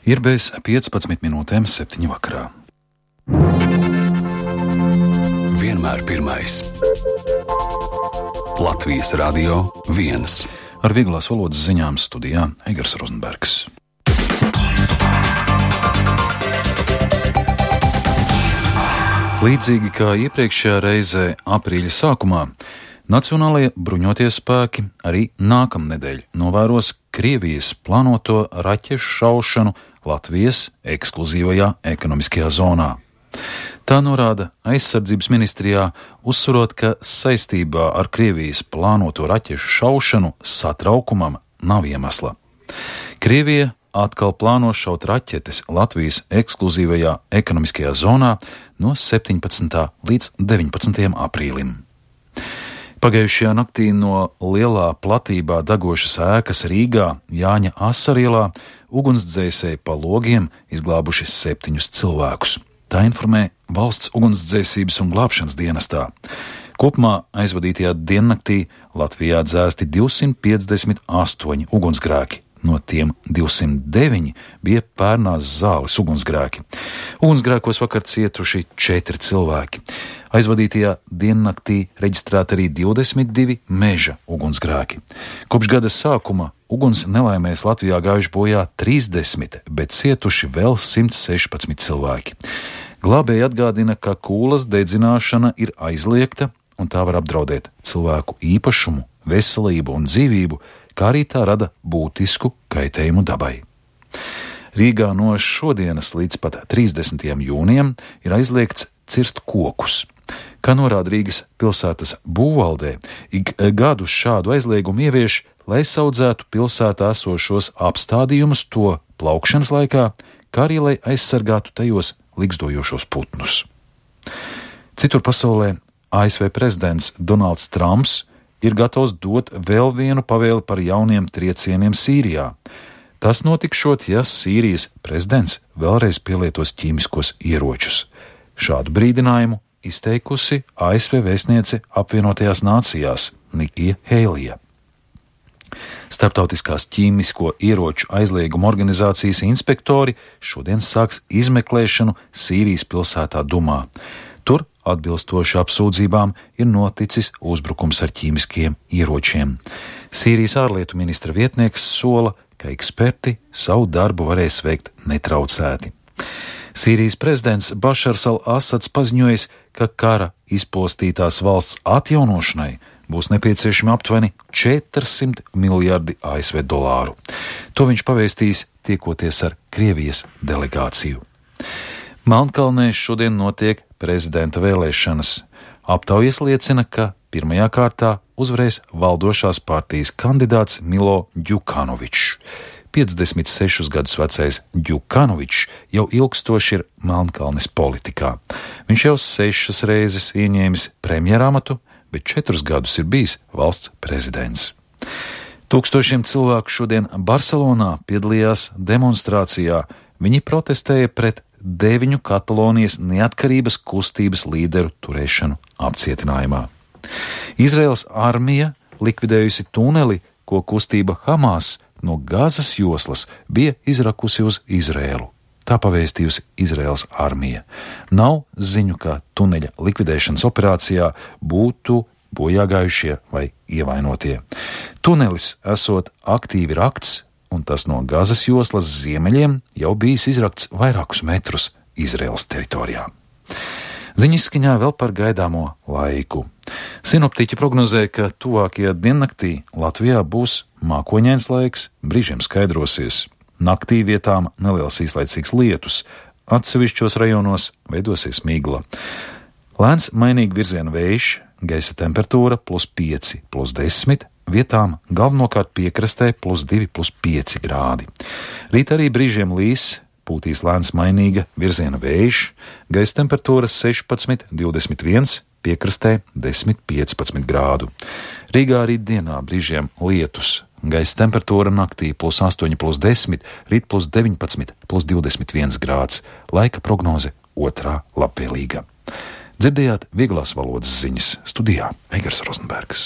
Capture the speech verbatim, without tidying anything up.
Ir bez piecpadsmit minūtēm septiņi vakarā. Vienmēr pirmais. Latvijas Radio viens. Ar vieglās valodas ziņām studijā Eigars Rozenbergs. Līdzīgi kā iepriekšējā reizē aprīļa sākumā, Nacionālajie bruņotie spēki arī nākamnedēļ novēros Krievijas plānoto raķešu šaušanu Latvijas ekskluzīvajā ekonomiskajā zonā. Tā norāda aizsardzības ministrijā, uzsverot, ka saistībā ar Krievijas plānoto raķešu šaušanu satraukumam nav iemesla. Krievija atkal plāno šaut raķetes Latvijas ekskluzīvajā ekonomiskajā zonā no septiņpadsmitā līdz deviņpadsmitajam aprīlim. Pagājušajā naktī no lielā platībā degošas ēkas Rīgā Jāņa Asarielā ugunsdzēsēji pa logiem izglābuši septiņus cilvēkus. Tā informē Valsts ugunsdzēsības un glābšanas dienestā. Kopumā aizvadītajā diennaktī Latvijā dzēsti divsimt piecdesmit astoņi ugunsgrēki. No tiem divsimt deviņi bija Pērnās zāles ugunsgrēki. Ugunsgrēkos vakar cietuši četri cilvēki. Aizvadītajā diennaktī reģistrēti arī divdesmit divi meža ugunsgrēki. Kopš gada sākuma uguns nelaimēs Latvijā gājuši bojā trīsdesmit, bet cietuši vēl simt sešpadsmit cilvēki. Glābēji atgādina, ka kūlas dedzināšana ir aizliegta un tā var apdraudēt cilvēku īpašumu, veselību un dzīvību, kā arī tā rada būtisku kaitējumu dabai. Rīgā no šodienas līdz pat trīsdesmitajam jūnijam ir aizliegts cirst kokus. Kā norāda Rīgas pilsētas būvvaldē, ik gadu šādu aizliegumu ievieš, lai saudzētu pilsētā esošos apstādījumus to plaukšanas laikā, kā arī lai aizsargātu tajos ligzdojošos putnus. Citur pasaulē A S V prezidents Donalds Trumps ir gatavs dot vēl vienu pavēli par jauniem triecieniem Sīrijā. Tas notikšot, ja Sīrijas prezidents vēlreiz pielietos ķīmiskos ieročus. Šādu brīdinājumu izteikusi A S V vēstniece apvienotajās nācijās Nikija Heilija. Starptautiskās ķīmisko ieroču aizlieguma organizācijas inspektori šodien sāks izmeklēšanu Sīrijas pilsētā Dumā. Tur, atbilstoši apsūdzībām, ir noticis uzbrukums ar ķīmiskiem ieročiem. Sīrijas ārlietu ministra vietnieks sola, ka eksperti savu darbu varēs veikt netraucēti. Sīrijas prezidents Bašars al-Asads paziņojis, ka kara izpostītās valsts atjaunošanai būs nepieciešami aptuveni četrsimt miljardi A S V dolāru. To viņš pavēstīs tiekoties ar Krievijas delegāciju. Melnkalnē šodien notiek prezidenta vēlēšanas. Aptaujas liecina, ka pirmajā kārtā uzvarēs valdošās partijas kandidāts Milo Djukanovičs. piecdesmit sešus gadus vecais Djukanovičs jau ilgstoši ir Melnkalnes politikā. Viņš jau sešas reizes ieņēmis premjeramatu, bet četrus gadus ir bijis valsts prezidents. Tūkstošiem cilvēku šodien Barcelonā piedalījās demonstrācijā. Viņi protestēja pret deviņu Katalonijas neatkarības kustības līderu turēšanu apcietinājumā. Izraels armija likvidējusi tuneli, ko kustība Hamas no Gazas joslas bija izrakusi uz Izrēlu. Tā pavēstījusi Izraels armija. Nav ziņu, ka tuneļa likvidēšanas operācijā būtu bojāgājušie vai ievainotie. Tunelis esot aktīvi rakts, un tas no Gazas joslas ziemeļiem jau bijis izrakts vairākus metrus Izraēlas teritorijā. Ziņizskaņā vēl par gaidāmo laiku. Sinoptiķi prognozē, ka tuvākajā diennaktī Latvijā būs mākoņains laiks, brīžiem skaidrosies. Naktī vietām neliels īslaicīgs lietus, atsevišķos rajonos veidosies migla. Lēns mainīgi virziena vējš, gaisa temperatūra plus pieci, plus desmit, vietām galvenokārt piekrastē plus divi, plus pieci grādi. Rīt arī brīžiem līs, pūtīs lēns mainīga virziena vējš, gaisa temperatūra sešpadsmit, divdesmit viens, piekrastē desmit, piecpadsmit grādu. Rīgā arī dienā brīžiem lietus, gaisa temperatūra naktī plus astoņi, plus desmit, rīt plus deviņpadsmit, plus divdesmit viens grāds, laika prognoze otrā labvēlīga. Dzirdējāt vieglās valodas ziņas studijā Eigars Rozenbergs.